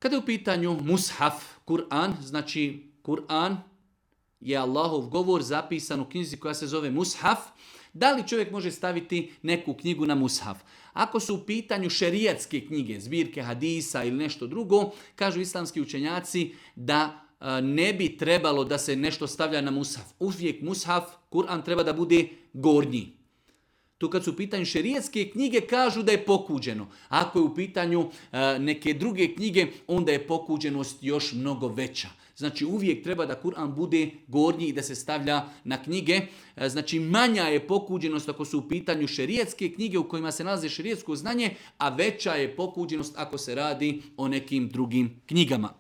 Kada je u pitanju mushaf, Kur'an, znači Kur'an je Allahov govor zapisan u knjizi koja se zove mushaf. Da li čovjek može staviti neku knjigu na mushaf? Ako su u pitanju šerijatske knjige, zbirke hadisa ili nešto drugo, kažu islamski učenjaci da ne bi trebalo da se nešto stavlja na mushaf. Uvijek mushaf, Kur'an treba da bude gornji. Tu kad su u pitanju šerijatske knjige kažu da je pokuđeno. Ako je u pitanju neke druge knjige, onda je pokuđenost još mnogo veća. Znači uvijek treba da Kur'an bude gornji i da se stavlja na knjige. Znači manja je pokuđenost ako su u pitanju šerijatske knjige u kojima se nalazi šerijatsko znanje, a veća je pokuđenost ako se radi o nekim drugim knjigama.